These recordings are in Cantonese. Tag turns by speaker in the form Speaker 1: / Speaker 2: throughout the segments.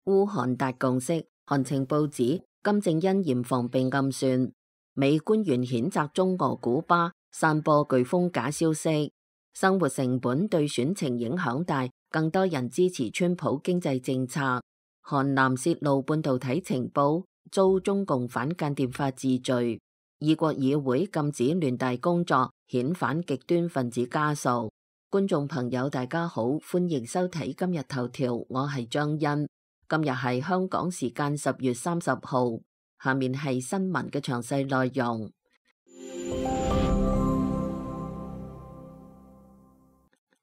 Speaker 1: 烏韓達共識，韓情報指金正恩嚴防被暗算。美官員譴責中俄古巴散播颶風假消息，生活成本對選情影響大，更多人支持川普經濟政策。韓南泄露半導體情報，遭中共反間諜法治罪。異國議會禁止聯大工作，遣返極端分子家屬。觀眾朋友大家好，歡迎收睇今日頭條，我係張欣。今日係香港時間10月30號，下面係新聞嘅詳細內容。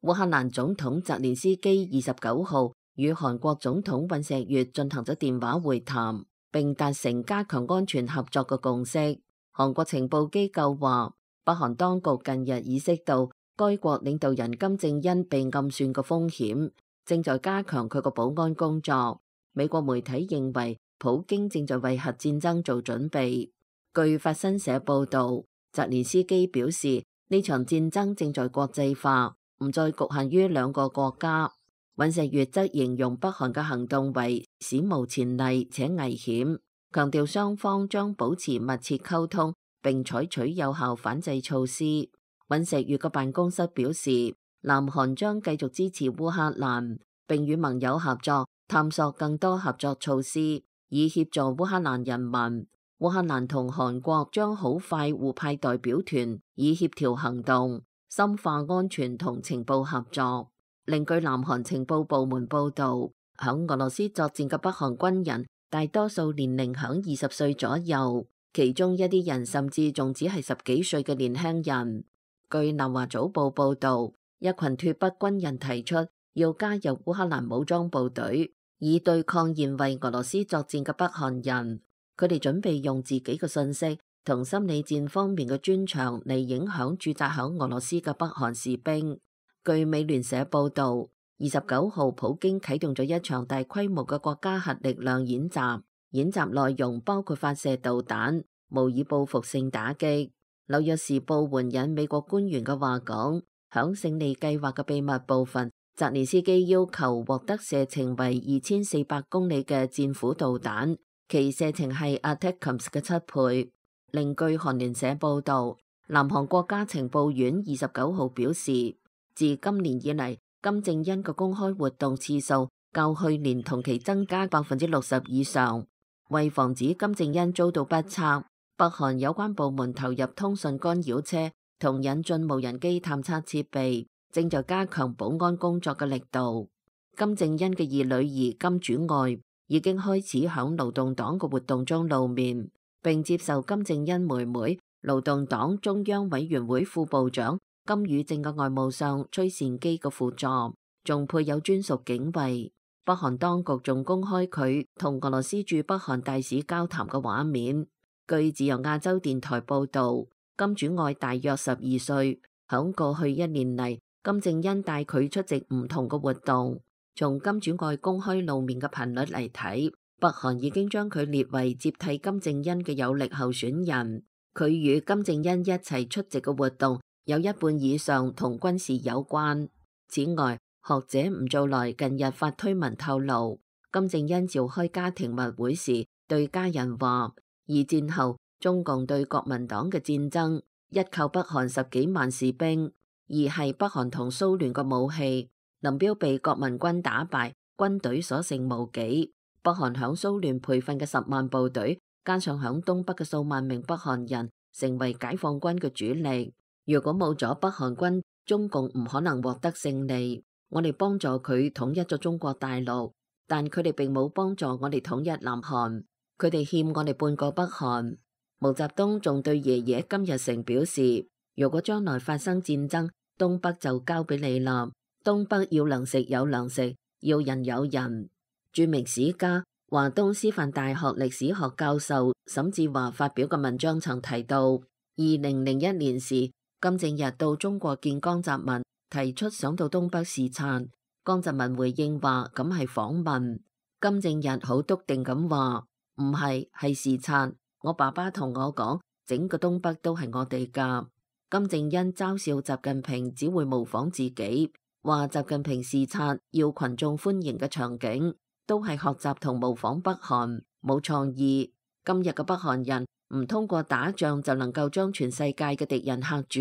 Speaker 1: 烏克蘭總統澤連斯基29號與韓國總統尹錫悅進行咗電話會談，並達成加強安全合作嘅共識。韓國情報機構話，北韓當局近日意識到該國領導人金正恩被暗算嘅風險，正在加強佢個保安工作。美國媒體認為，普京正在為核戰爭做準備。據法新社報導，澤連斯基表示，呢場戰爭正在國際化，唔再局限於兩個國家。尹錫悅則形容北韓嘅行動為史無前例且危險，強調雙方將保持密切溝通並採取有效反制措施。尹錫悅嘅辦公室表示，南韓將繼續支持烏克蘭，並與盟友合作，探索更多合作措施，以協助烏克蘭人民。烏克蘭同韓國將好快互派代表團，以協調行動，深化安全同情報合作。另據南韓情報部門報導，響俄羅斯作戰嘅北韓軍人大多數年齡響20歲左右，其中一啲人甚至仲只係10幾歲嘅年輕人。據南華早報報導，一群脫北軍人提出要加入烏克蘭武裝部隊，以對抗現為俄羅斯作戰嘅北韓人。佢哋準備用自己嘅信息同心理戰方面嘅專長嚟影響駐紮響俄羅斯嘅北韓士兵。據美聯社報導，29號普京啟動咗一場大規模嘅國家核力量演習，演習內容包括發射導彈，模擬報復性打擊。紐約時報援引美國官員嘅話講，響勝利計劃嘅秘密部分，澤連斯基要求獲得射程為2400公里嘅戰斧導彈，其射程係 ATACMS 嘅7倍。另據韓聯社報導，南韓國家情報院29號表示，自今年以嚟，金正恩嘅公開活動次數較去年同期增加60%以上。為防止金正恩遭到不測，北韓有關部門投入通訊干擾車同引進無人機探測設備，正在加強保安工作嘅力度。金正恩嘅二女兒金主愛已經開始響勞動黨嘅活動中露面，並接受金正恩妹妹勞動黨中央委員會副部長金與正嘅外務相崔善基嘅輔助，仲配有專屬警衛。北韓當局仲公開佢同俄羅斯駐北韓大使交談嘅畫面。據自由亞洲電台報導，金主愛大約12歲，響過去1年嚟，金正恩帶佢出席唔同嘅活動。從金主愛公開露面嘅頻率嚟睇，北韓已經將佢列為接替金正恩嘅有力候選人。佢與金正恩一齊出席嘅活動，有一半以上同軍事有關。此外，學者吳造來近日發推文透露，金正恩召開家庭密會時，對家人話：二戰後中共對國民黨嘅戰爭，一靠北韓10幾萬士兵，二係北韓同蘇聯嘅武器。林彪被國民軍打敗，軍隊所剩無幾。北韓響蘇聯培訓嘅10萬部隊，加上響東北嘅數萬名北韓人，成為解放軍嘅主力。如果冇咗北韓軍，中共唔可能獲得勝利。我哋幫助佢統一咗中國大陸，但佢哋並冇幫助我哋統一南韓，佢哋欠我哋半個北韓。毛澤東仲對爺爺金日成表示，如果將來發生戰爭，東北就交俾你啦。東北要糧食有糧食，要人有人。著名史家、華東師範大學歷史學教授沈志華發表嘅文章曾提到，2001年時，金正日到中國見江澤民，提出想到東北視察。江澤民回應話咁係訪問。金正日好篤定咁話唔係，係視察。我爸爸同我講，整個東北都係我哋噶。金正恩嘲笑習近平只會模仿自己，話習近平視察要群眾歡迎嘅場景，都係學習同模仿北韓，冇創意。今日嘅北韓人唔通過打仗就能夠將全世界嘅敵人嚇住，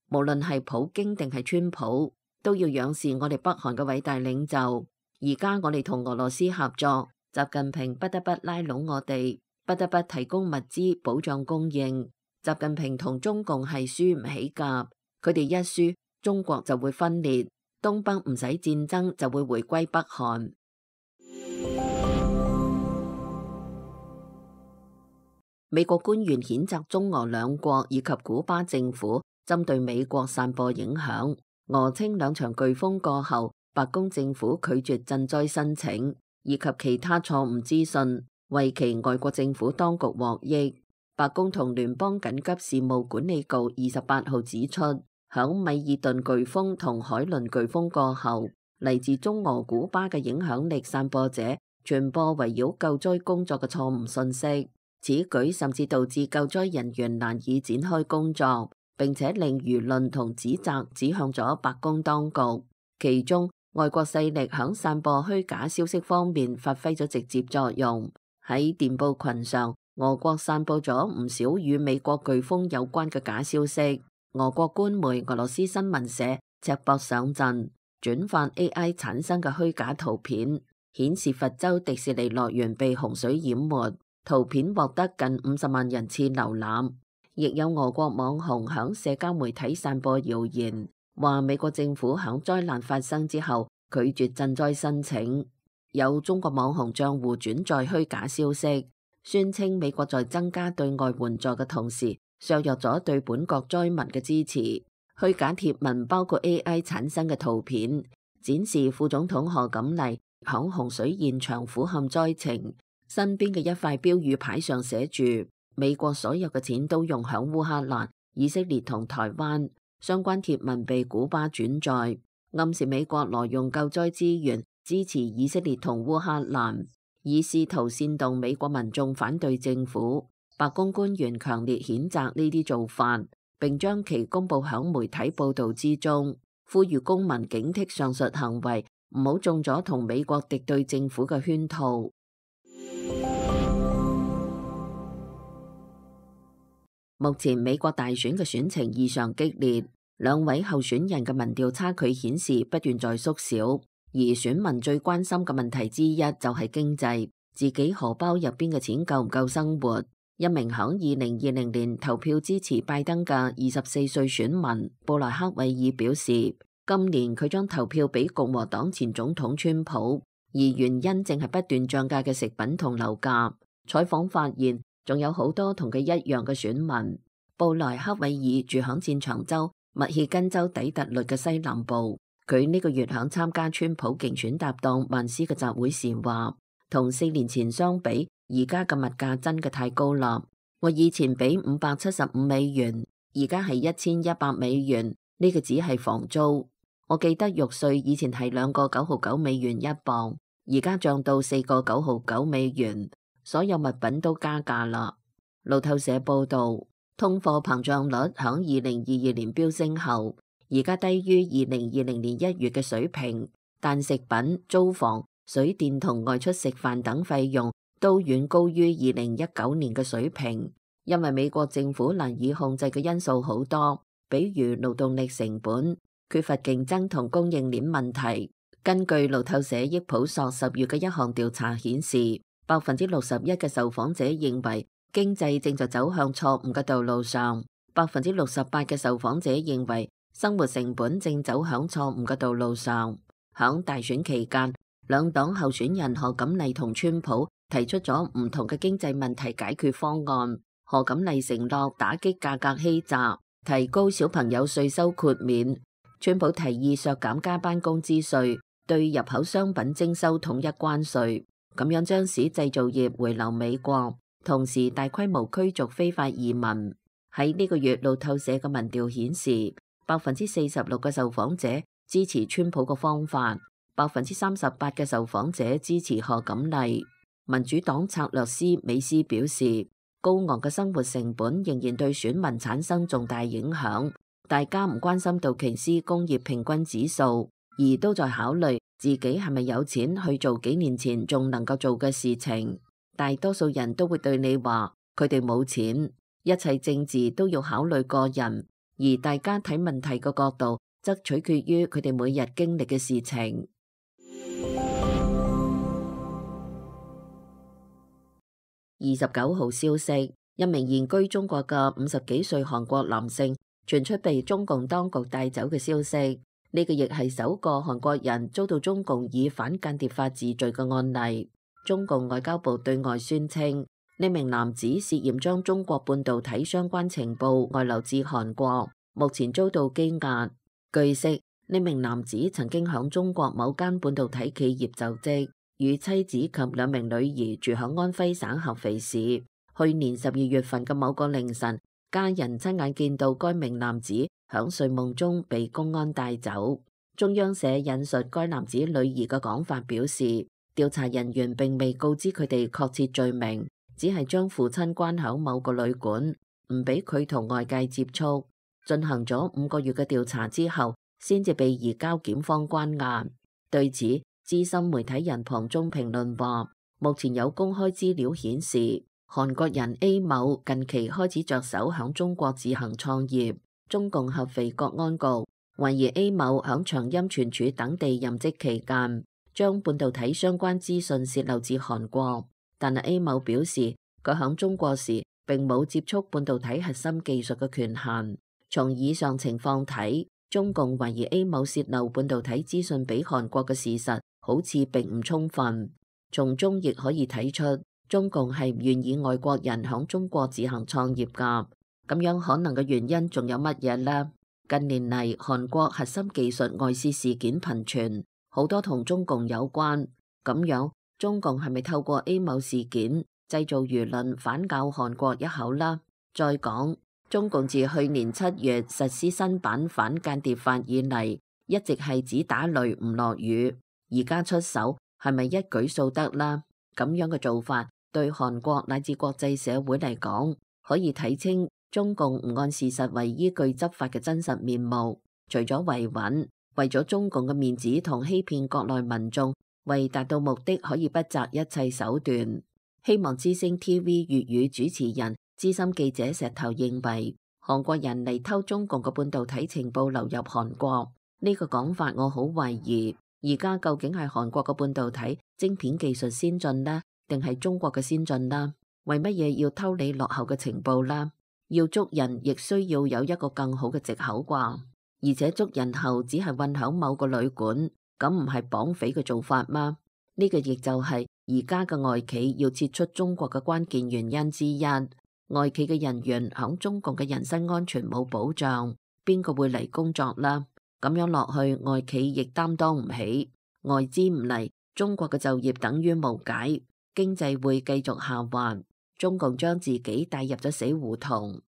Speaker 1: 無論係普京定係川普，都要仰視我哋北韓嘅偉大領袖。而家我哋同俄羅斯合作，習近平不得不拉攏我哋，不得不提供物資保障供應。習近平同中共係輸唔起㗎，佢哋一輸，中國就會分裂，東北唔使戰爭就會回歸北韓。美國官員譴責中俄兩國以及古巴政府針對美國散播影響。俄稱兩場颶風過後，白宮政府拒絕賑災申請，以及其他錯誤資訊，為其外國政府當局獲益。白宮同聯邦緊急事務管理局28號指出，響米爾頓颶風同海倫颶風過後，嚟自中俄古巴嘅影響力散播者傳播圍繞救災工作嘅錯誤信息。此舉甚至導致救災人員難以展開工作，並且令輿論同指責指向咗白宮當局。其中，外國勢力響散播虛假消息方面發揮咗直接作用。喺電報群上，俄國散布咗唔少與美國颶風有關嘅假消息。俄國官媒俄羅斯新聞社赤膊上陣，轉發 AI 產生嘅虛假圖片，顯示佛州迪士尼樂園被洪水淹沒。圖片獲得近50萬人次瀏覽，亦有俄國網紅響社交媒體散播謠言，話美國政府響災難發生之後拒絕賑災申請。有中國網紅賬戶轉載虛假消息，宣稱美國在增加對外援助嘅同時，削弱咗對本國災民嘅支持。虛假貼文包括 AI 產生嘅圖片，展示副總統賀錦麗響洪水現場俯瞰災情。身邊嘅一塊標語牌上寫住：美國所有嘅錢都用響烏克蘭、以色列同台灣。相關貼文被古巴轉載，暗示美國挪用救災資源支持以色列同烏克蘭，以試圖煽動美國民眾反對政府。白宮官員強烈譴責呢啲做法，並將其公佈響媒體報導之中，呼籲公民警惕上述行為，唔好中咗同美國敵對政府嘅圈套。目前美國大選嘅選情異常激烈，兩位候選人嘅民調差距顯示不斷在縮小，而選民最關心嘅問題之一就係經濟，自己荷包入邊嘅錢夠唔夠生活。一名響2020年投票支持拜登嘅24歲選民布萊克韋爾表示，今年佢將投票俾共和黨前總統川普，而原因正係不斷漲價嘅食品同樓價。採訪發現，仲有好多同佢一樣嘅選民。布萊克韋爾住響戰場州密歇根州底特律嘅西南部，佢呢個月響參加川普競選搭檔曼斯嘅集會時話，同4年前相比，而家嘅物價真嘅太高啦。我以前俾575美元，而家係1100美元，呢個只係房租。我記得肉碎以前係2個9毫9美元一磅，而家漲到4個9毫9美元。所有物品都加價啦。路透社報道，通貨膨脹率響2022年飆升後，而家低於2020年1月嘅水平，但食品、租房、水電同外出食飯等費用都遠高於2019年嘅水平。因為美國政府難以控制嘅因素好多，比如勞動力成本、缺乏競爭同供應鏈問題。根據路透社益普索10月嘅一項調查顯示，61%嘅受訪者認為經濟正在走向錯誤嘅道路上，68%嘅受訪者認為生活成本正走向錯誤嘅道路上。響大選期間，兩黨候選人賀錦麗同川普提出咗唔同嘅經濟問題解決方案。賀錦麗承諾打擊價格欺詐，提高小朋友稅收豁免；川普提議削減加班工資稅，對入口商品徵收統一關稅。咁樣將使製造業回流美國，同時大規模驅逐非法移民。喺呢個月，路透社嘅民調顯示，46%嘅受訪者支持川普嘅方法，38%嘅受訪者支持賀錦麗。民主黨策略師美斯表示，高昂嘅生活成本仍然對選民產生重大影響。大家唔關心道瓊斯工業平均指數，而都在考慮自己係咪有錢去做幾年前仲能夠做嘅事情。大多數人都會對你話佢哋冇錢，一切政治都要考慮個人，而大家睇問題嘅角度則取決於佢哋每日經歷嘅事情。29號消息，一名現居中國嘅50幾歲韓國男性傳出被中共當局帶走嘅消息，呢個亦係首個韓國人遭到中共以反間諜法治罪嘅案例。中共外交部對外宣稱，呢名男子涉嫌將中國半導體相關情報外流至韓國，目前遭到羈押。據悉，呢名男子曾經響中國某間半導體企業就職，與妻子及2名女兒住響安徽省合肥市。去年12月份嘅某個凌晨，家人親眼見到該名男子響睡夢中被公安帶走。中央社引述該男子女兒嘅講法表示，調查人員並未告知佢哋確切罪名，只係將父親關響某個旅館，唔俾佢同外界接觸。進行咗5個月嘅調查之後，先至被移交檢方關押。對此，資深媒體人龐中評論話，目前有公開資料顯示，韓國人 A 某近期開始着手響中國自行創業。中共合肥國安局懷疑 A 某響長陰存儲等地任職期間，將半導體相關資訊洩漏至韓國。但係 A 某表示，佢響中國時並冇接觸半導體核心技術嘅權限。從以上情況睇，中共懷疑 A 某洩漏半導體資訊俾韓國嘅事實好似並唔充分。從中亦可以睇出，中共係唔願意外國人響中國自行創業㗎。咁樣可能嘅原因仲有乜嘢呢？近年嚟，韓國核心技術外洩事件頻傳，好多同中共有關。咁樣，中共係咪透過 A 某事件製造輿論反咬韓國一口啦？再講，中共自去年7月實施新版反間諜法以嚟，一直係只打雷唔落雨。而家出手係咪一舉數得啦？咁樣嘅做法對韓國乃至國際社會嚟講，可以睇清中共唔按事實為依據執法嘅真實面目。除咗維穩，為咗中共嘅面子同欺騙國內民眾，為達到目的可以不擇一切手段。希望之聲 TV 粵語主持人資深記者石頭認為，韓國人嚟偷中共嘅半導體情報流入韓國，呢個講法我好懷疑。而家究竟係韓國嘅半導體晶片技術先進呢，定係中國嘅先進呢？為乜嘢要偷你落後嘅情報呢？要捉人亦需要有一個更好嘅藉口啩？而且捉人後只係困響某個旅館，咁唔係綁匪嘅做法嗎？呢個亦就係而家嘅外企要撤出中國嘅關鍵原因之一。外企嘅人員響中共嘅人身安全冇保障，邊個會嚟工作啦？咁樣落去，外企亦擔當唔起，外資唔嚟，中國嘅就業等於無解，經濟會繼續下滑，中共將自己帶入咗死胡同。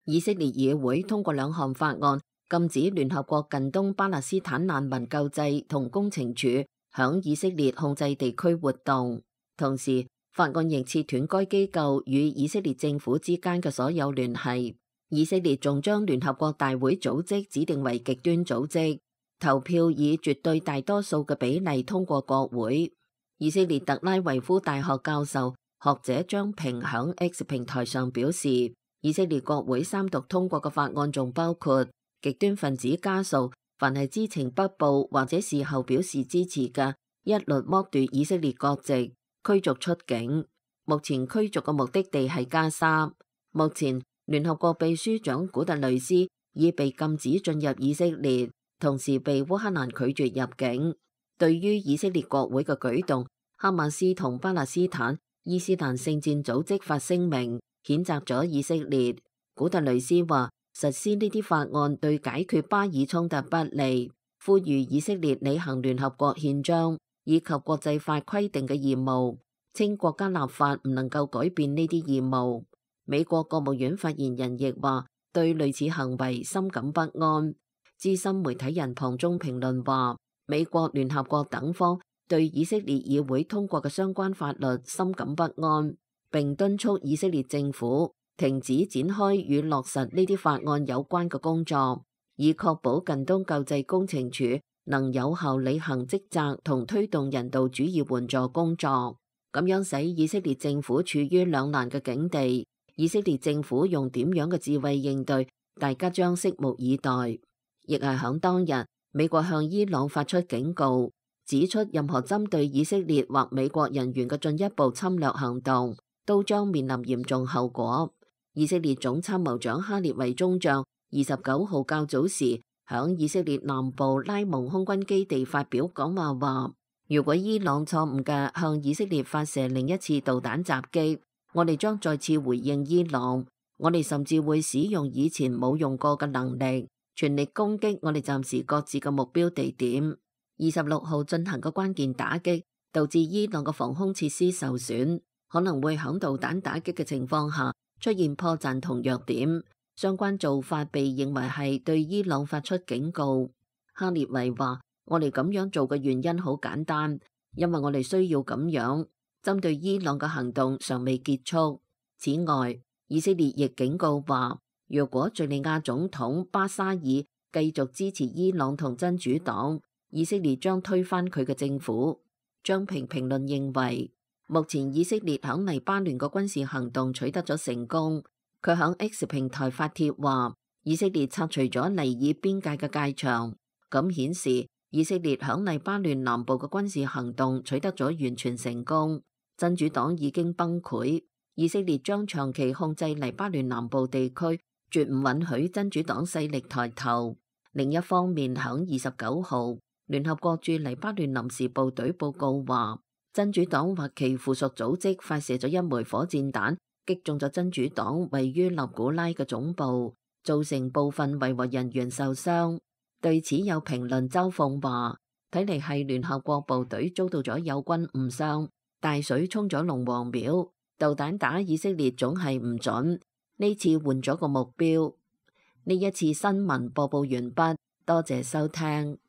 Speaker 1: 以色列議會通過2項法案，禁止聯合國近東巴勒斯坦難民救濟同工程處響以色列控制地區活動，同時法案亦切斷該機構與以色列政府之間嘅所有聯繫。以色列仲將聯合國大會組織指定為極端組織，投票以絕對大多數嘅比例通過國會。以色列特拉維夫大學教授學者張平響 X 平台上表示，以色列國會3讀通過嘅法案仲包括極端分子家屬凡係知情不報或者事後表示支持嘅，一律剝奪以色列國籍，驅逐出境。目前驅逐嘅目的地係加沙。目前聯合國秘書長古特雷斯已被禁止進入以色列，同時被烏克蘭拒絕入境。對於以色列國會嘅舉動，哈馬斯同巴勒斯坦伊斯蘭聖戰組織發聲明譴責咗以色列。古特雷斯話，實施呢啲法案對解決巴以衝突不利，呼籲以色列履行聯合國憲章以及國際法規定嘅義務，稱國家立法唔能夠改變呢啲義務。美國國務院發言人亦話對類似行為深感不安。資深媒體人龐中評論話，美國、聯合國等方對以色列議會通過嘅相關法律深感不安，並敦促以色列政府停止展開與落實呢啲法案有關嘅工作，以確保近東救濟工程處能有效履行職責同推動人道主義援助工作。咁樣使以色列政府處於兩難嘅境地。以色列政府用點樣嘅智慧應對，大家將拭目以待。亦係響當日，美國向伊朗發出警告，指出任何針對以色列或美國人員嘅進一步侵略行動都將面臨嚴重後果。以色列總參謀長哈列維中將29號較早時響以色列南部拉蒙空軍基地發表講話，如果伊朗錯誤嘅向以色列發射另一次導彈襲擊，我哋將再次回應伊朗，我哋甚至會使用以前冇用過嘅能力，全力攻擊我哋暫時各自嘅目標地點。26號進行嘅關鍵打擊，導致伊朗嘅防空設施受損，可能會響導彈打擊嘅情況下出現破綻同弱點。相關做法被認為係對伊朗發出警告。哈列維話：我哋咁樣做嘅原因好簡單，因為我哋需要咁樣。針對伊朗嘅行動尚未結束。此外，以色列亦警告話，若果敘利亞總統巴沙爾繼續支持伊朗同真主黨，以色列將推翻佢嘅政府。張平評論認為，目前以色列響黎巴嫩嘅軍事行動取得咗成功。佢響 X 平台發帖話，以色列拆除咗尼爾邊界嘅界牆，咁顯示以色列響黎巴嫩南部嘅軍事行動取得咗完全成功。真主黨已經崩潰，以色列將長期控制黎巴嫩南部地區，絕唔允許真主黨勢力抬頭。另一方面，響29號，聯合國駐黎巴嫩臨時部隊報告話，真主黨或其附屬組織發射咗一枚火箭彈，擊中咗真主黨位於納古拉嘅總部，造成部分維和人員受傷。對此有評論嘲諷話，睇嚟係聯合國部隊遭到咗友軍誤傷。大水沖咗龍王廟，導彈打以色列總係唔準，呢次換咗個目標。呢一次新聞播報完畢，多謝收聽。